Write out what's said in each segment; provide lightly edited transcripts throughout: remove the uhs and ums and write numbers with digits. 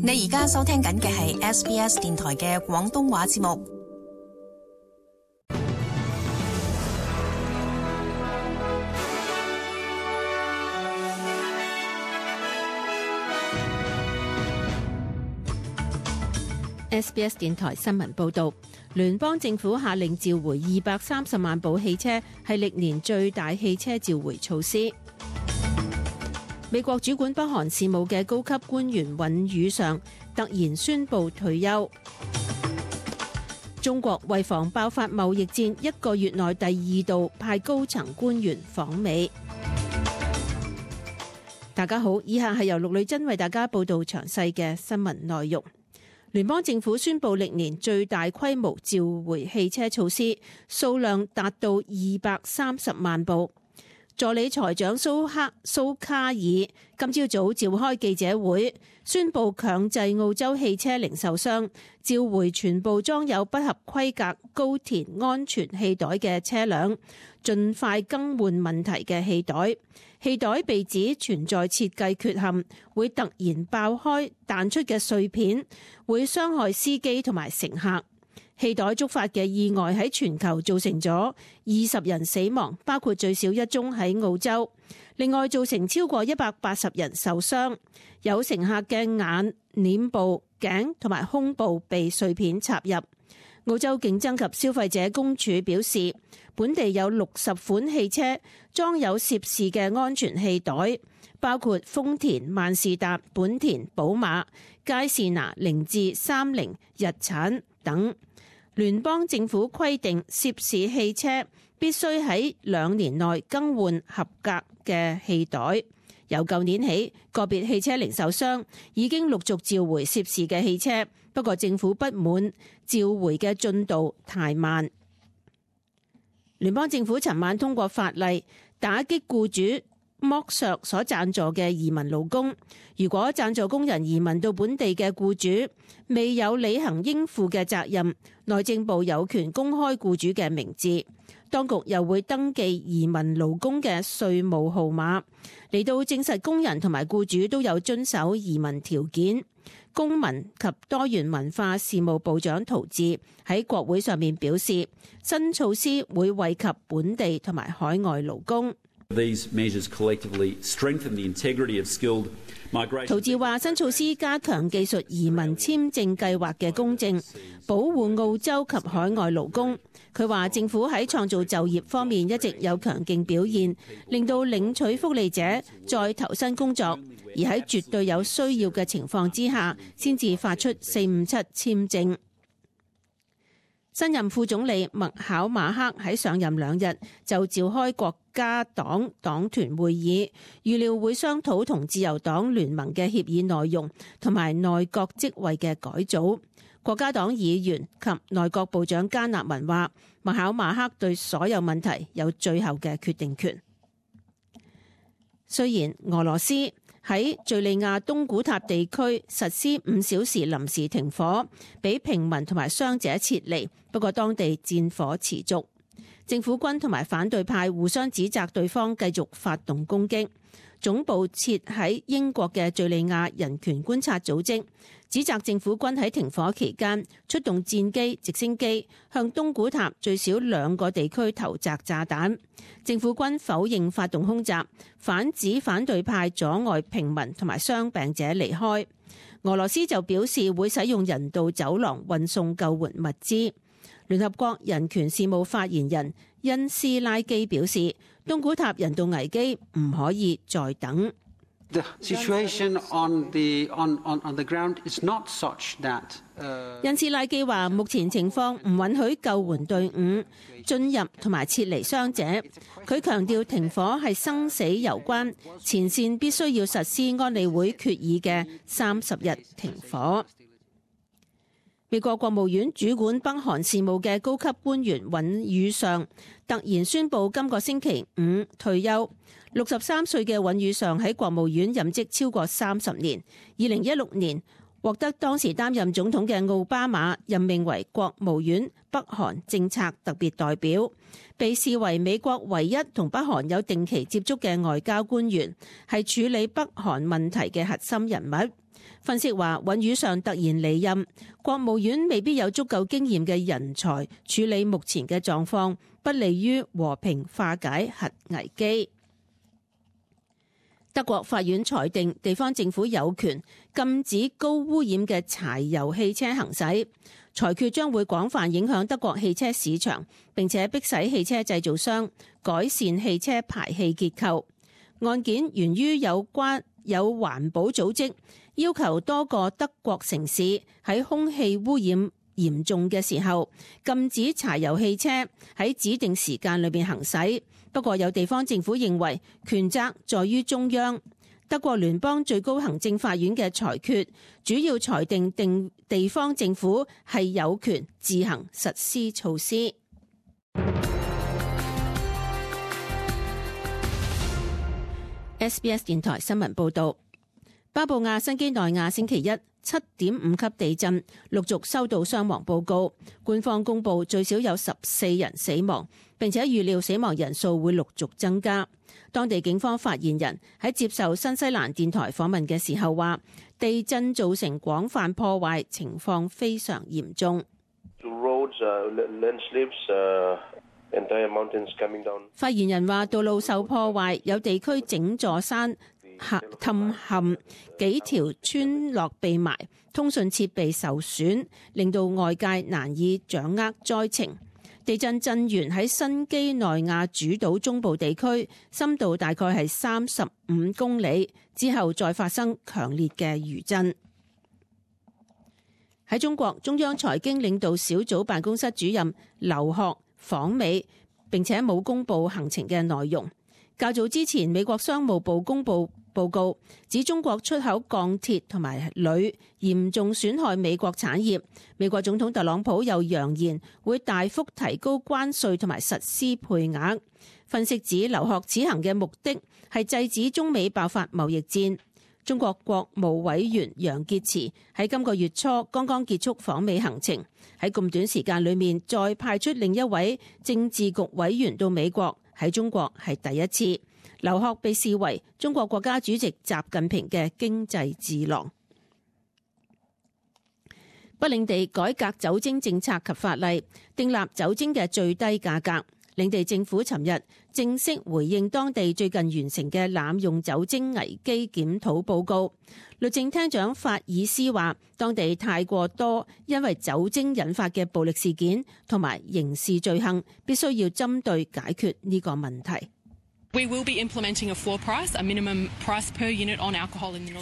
你而家收聽緊嘅係 SBS 電台嘅廣東話節目。SBS 電台新聞報導，聯邦政府下令召回230萬部汽車，係歷年最大汽車召回措施。美國主管北韓事務嘅高級官員尹宇尚突然宣布退休。中國為防爆發貿易戰，1個月內第2度派高層官員訪美。大家好，以下係由陸女真為大家報道詳細嘅新聞內容。聯邦政府宣布歷年最大規模召回汽車措施，數量達到230萬部。助理財長蘇卡爾今朝早召開記者會，宣布強制澳洲汽車零售商召回全部裝有不合規格高田安全氣袋嘅車輛，盡快更換問題嘅氣袋。氣袋被指存在設計缺陷，會突然爆開彈出嘅碎片，會傷害司機同埋乘客。氣袋觸發嘅意外喺全球造成咗20人死亡，包括最少1宗喺澳洲。另外造成超過180人受傷，有乘客嘅眼、臉部、頸同埋胸部被碎片插入。澳洲競爭及消費者公署表示，本地有60款汽車裝有涉事嘅安全氣袋，包括豐田、萬事達、本田、寶馬、佳士拿、凌志、三菱、日產等。聯邦政府規定涉事汽車必須喺2年內更換合格嘅氣袋。由舊年起，個別汽車零售商已經陸續召回涉事嘅汽車，不過政府不滿召回嘅進度太慢。聯邦政府尋晚通過法例，打擊僱主剝削所贊助嘅移民勞工。如果贊助工人移民到本地嘅僱主未有履行應負嘅責任，內政部有權公開僱主嘅名字。當局又會登記移民勞工嘅稅務號碼，嚟到證實工人同埋僱主都有遵守移民條件。公民及多元文化事務部長陶志喺國會上面表示，新措施會惠及本地同埋海外勞工。陶志話：新措施加強技術移民簽證計劃嘅公正，保護澳洲及海外勞工。佢話政府喺創造就業方面一直有強勁表現，令到領取福利者再投身工作，而喺絕對有需要嘅情況之下，先至發出457簽證。新任副總理麥考馬克喺上任2日就召開國家黨黨團會議，預料會商討同自由黨聯盟嘅協議內容同埋內閣職位嘅改組。國家黨議員及內閣部長加納文話，麥考馬克對所有問題有最後嘅決定權。雖然俄羅斯喺敘利亞東古塔地區實施5小時臨時停火，俾平民同埋傷者撤離，不過當地戰火持續。政府軍同埋反對派互相指責對方繼續發動攻擊。總部設喺英國嘅敘利亞人權觀察組織指責政府軍喺停火期間出動戰機、直升機向東古塔最少2個地區投擲炸彈。政府軍否認發動空襲，反指反對派阻礙平民同埋傷病者離開。俄羅斯就表示會使用人道走廊運送救援物資。聯合國人權事務發言人恩斯拉基表示，東古塔人道危機唔可以再等。恩斯拉基話，目前情況唔允許救援隊伍進入同埋撤離傷者。佢強調停火係生死攸關，前線必須要實施安理會決議嘅30日停火。美國國務院主管北韓事務嘅高級官員尹宇尚突然宣布今個星期5退休。63歲嘅尹宇尚喺國務院任職超過30年，2016年獲得當時擔任總統嘅奧巴馬任命為國務院北韓政策特別代表，被視為美國唯一同北韓有定期接觸嘅外交官員，係處理北韓問題嘅核心人物。分析話，尹宇尚突然離任，國務院未必有足夠經驗嘅人才處理目前嘅狀況，不利於和平化解核危機。德國法院裁定地方政府有權禁止高污染嘅柴油汽車行駛，裁決將會廣泛影響德國汽車市場，並且迫使汽車製造商改善汽車排氣結構。案件源於有環保組織要求多個德國城市喺空氣污染嚴重嘅時候禁止柴油汽車喺指定時間裏面行駛。不過有地方政府認為權責在於中央。德國聯邦最高行政法院嘅裁決主要裁定地方政府係有權自行實施措施。SBS 電台新聞報導，巴布亞新幾內亞星期一7.5級地震，陸續收到傷亡報告。官方公佈最少有14人死亡，並且預料死亡人數會陸續增加。當地警方發言人喺接受新西蘭電台訪問嘅時候話，地震造成廣泛破壞，情況非常嚴重。發言人話，道路受破壞，有地區整座山塌陷，幾條村落被埋，通訊設備受損，令到外界難以掌握災情。地震震源喺新幾內亞主島中部地區，深度大概係35公里，之後再發生強烈嘅餘震。喺中國，中央財經領導小組辦公室主任劉鶴訪美，並且冇公布行程嘅內容。較早之前，美國商務部公布報告，指中國出口鋼鐵同埋鋁嚴重損害美國產業。美國總統特朗普又揚言會大幅提高關稅同埋實施配額。分析指，劉鶴此行嘅目的係制止中美爆發貿易戰。中國國務委員楊潔篪喺今個月初剛剛結束訪美行程，喺咁短時間裏面再派出另一位政治局委員到美國，喺中國係第一次。劉鶴被視為中國國家主席習近平嘅經濟智囊。北領地改革酒精政策及法例，訂立酒精嘅最低價格。領地政府尋日正式回應當地最近完成嘅濫用酒精危機檢討報告。律政廳長法爾斯話，當地太過多因為酒精引發嘅暴力事件同埋刑事罪行，必須要針對解決呢個問題。法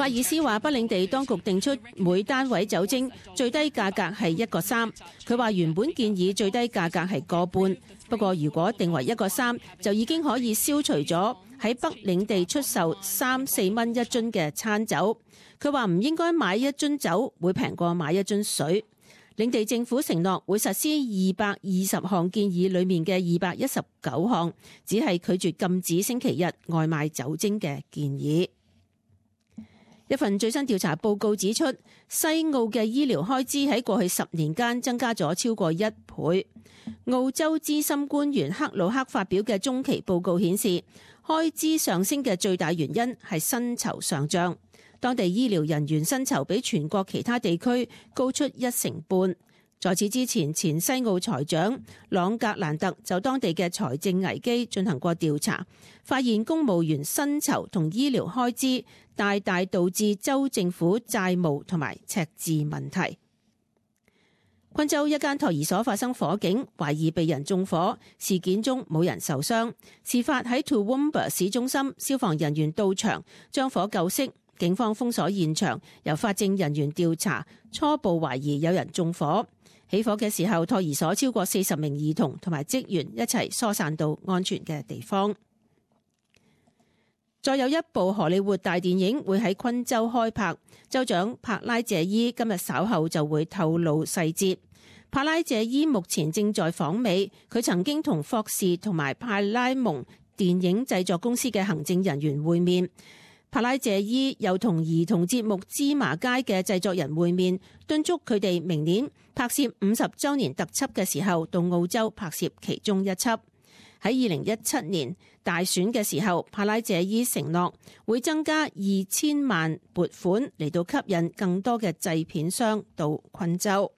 爾斯話，北領地當局定出每單位酒精最低價格係1.3。佢話原本建議最低價格係1.5，不過如果定為1.3，就已經可以消除咗喺北領地出售3-4蚊一樽嘅餐酒。佢話唔應該買一樽酒會平過買一樽水。領地政府承諾會實施220項建議裏面嘅219項，只係拒絕禁止星期日外賣酒精嘅建議。一份最新調查報告指出，西澳嘅醫療開支喺過去10年間增加咗超過1倍。澳洲資深官員克魯克發表嘅中期報告顯示，開支上升嘅最大原因係薪酬上漲。當地醫療人員薪酬比全國其他地區高出1成半。在此之前，前西澳財長朗格蘭特就當地嘅財政危機進行過調查，發現公務員薪酬同醫療開支大大導致州政府債務同埋赤字問題。昆州一間托兒所發生火警，懷疑被人縱火，事件中冇人受傷。事發喺 Toowoomba 市中心，消防人員到場將火救熄。警方封鎖現場，由法證人員調查，初步懷疑有人縱火。起火嘅時候，托兒所超過40名兒童同埋職員一齊疏散到安全嘅地方。再有一部荷里活大電影會喺昆州開拍，州長帕拉謝伊今日稍後就會透露細節。帕拉謝伊目前正在訪美，佢曾經同霍士同埋派拉蒙電影製作公司嘅行政人員會面。帕拉謝伊又同兒童節目《芝麻街》嘅製作人會面，敦促佢哋明年拍攝50週年特輯嘅時候到澳洲拍攝其中一輯。喺2017年大選嘅時候，帕拉謝伊承諾會增加2000萬撥款嚟到吸引更多嘅製片商到昆州。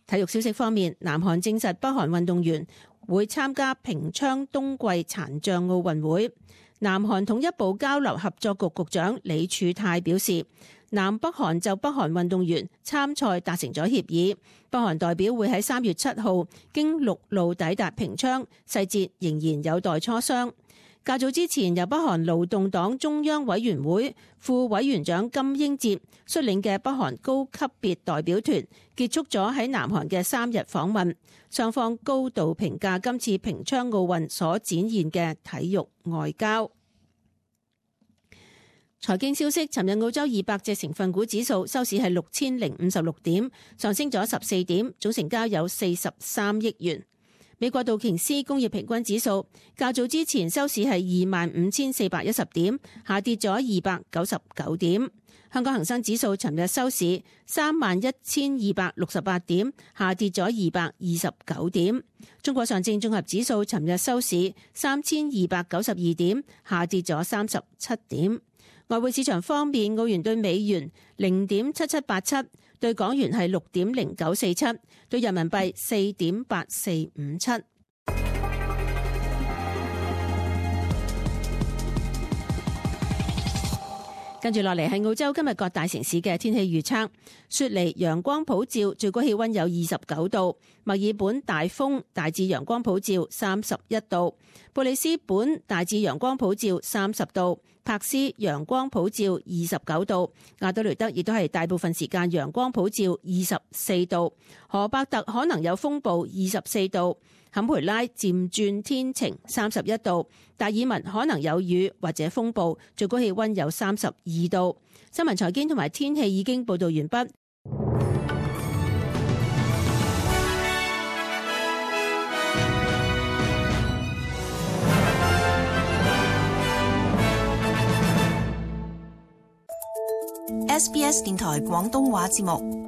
體育消息方面，南韓證實北韓運動員會參加平昌冬季殘障奧運會。南韓統一部交流合作局局長李柱泰表示，南北韓就北韓運動員參賽達成咗協議，北韓代表會喺3月7號經陸路抵達平昌，細節仍然有待磋商。較早之前，由北韓勞動黨中央委員會副委員長金英哲率領嘅北韓高級別代表團結束咗喺南韓嘅3日訪問，雙方高度評價今次平昌奧運所展現嘅體育外交。財經消息，尋日澳洲200隻成分股指數收市係6056點，上升咗14點，總成交有43億元。美國道瓊斯工業平均指數較早之前收市係25410點，下跌咗299點。香港恒生指數尋日收市31268點，下跌咗229點。中國上證綜合指數尋日收市3292點，下跌咗37點。外匯市場方面，澳元對美元0.7787，對港元係6.0947，對人民幣4.8457。跟住落嚟係澳洲今日各大城市嘅天氣預測。雪梨陽光普照，最高氣溫有29度；墨爾本大風，大致陽光普照31度；布里斯本大致陽光普照30度；柏斯陽光普照29度；亞德雷德亦都係大部分時間陽光普照24度；荷伯特可能有風暴24度；坎培拉漸轉天晴31度；達爾文可能有雨或者風暴，最高氣溫有32度。新聞財經同埋天氣已經報道完畢。SBS 電台廣東話節目。